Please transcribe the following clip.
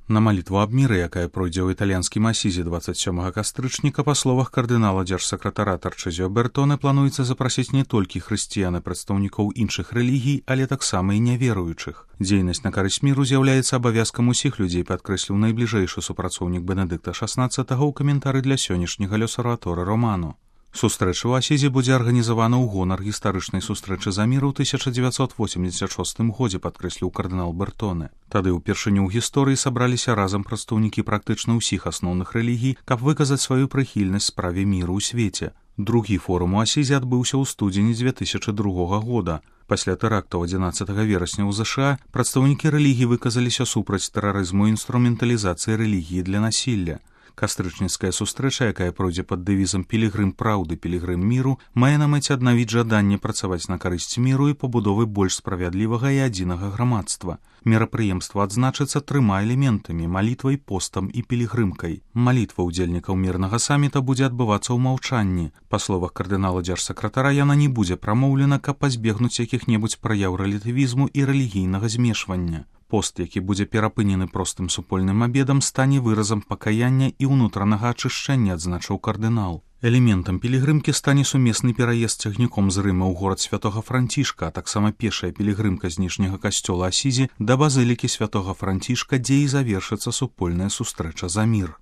На малітву аб міры, якая пройдзе ў італьянскім Асізе 27 кастрычніка, па словах кардынала дзяржсакратара Тарчэзіо Бертоне, плануецца запрасіць не толькі хрысціян і прадстаўнікоў іншых рэлігій, але таксама і няверуючых. Дзейнасць на карысць міру з'яўляецца абавязкам усіх людзей, падкрэсліў найбліжэйшы супрацоўнік Бенедыкта XVI ў каментары для сённяшняга L'Osservatore Romano. Сустрэча ў Асізе будзе арганізавана ў гонар гістарычнай сустрэчы за мір у 1986 годзе, падкрэсліў кардынал Бертоне. Тады ўпершыню ў гісторыі сабраліся разам прадстаўнікі практычна ўсіх асноўных рэлігій, каб выказаць сваю прыхільнасць справе міру ў свеце. Другі форум у Асізе адбыўся ў студзені 2002 года. Пасля тэрактаў 11 верасня ў ЗША прадстаўнікі рэлігій выказаліся супраць тэрарызму і інструменталізацыі рэлігіі для насілля. Кастрычніцкая сустрэча, якая пройдзе пад дэвізам «Пілігрым праўды, пілігрым міру», мае на мэце аднавіць жаданне працаваць на карысць міру і пабудовы больш справядлівага і адзінага грамадства. Мерапрыемства адзначыцца 3 элементамі – малітвай, постам і пілігрымкай. Малітва ўдзельнікаў мірнага саміта будзе адбывацца ў маўчанні. Па словах кардынала дзяржсакратара, яна не будзе прамоўлена, каб пазбегнуць якіх-небудзь праяў рэлятывізму і рэлігійнага змешвання. Пост, які будзе перапынены простым супольным абедам, стане выразам пакаяння і ўнутранага ачышчэння, адзначыў кардынал. Элементам пілігрымкі стане сумесны пераезд цягніком з Рыма ў горад святога Францішка, а таксама пешая пілігрымка з ніжняга касцёла Асізі да базылікі святога Францішка, дзе і завершыцца супольная сустрэча за мір.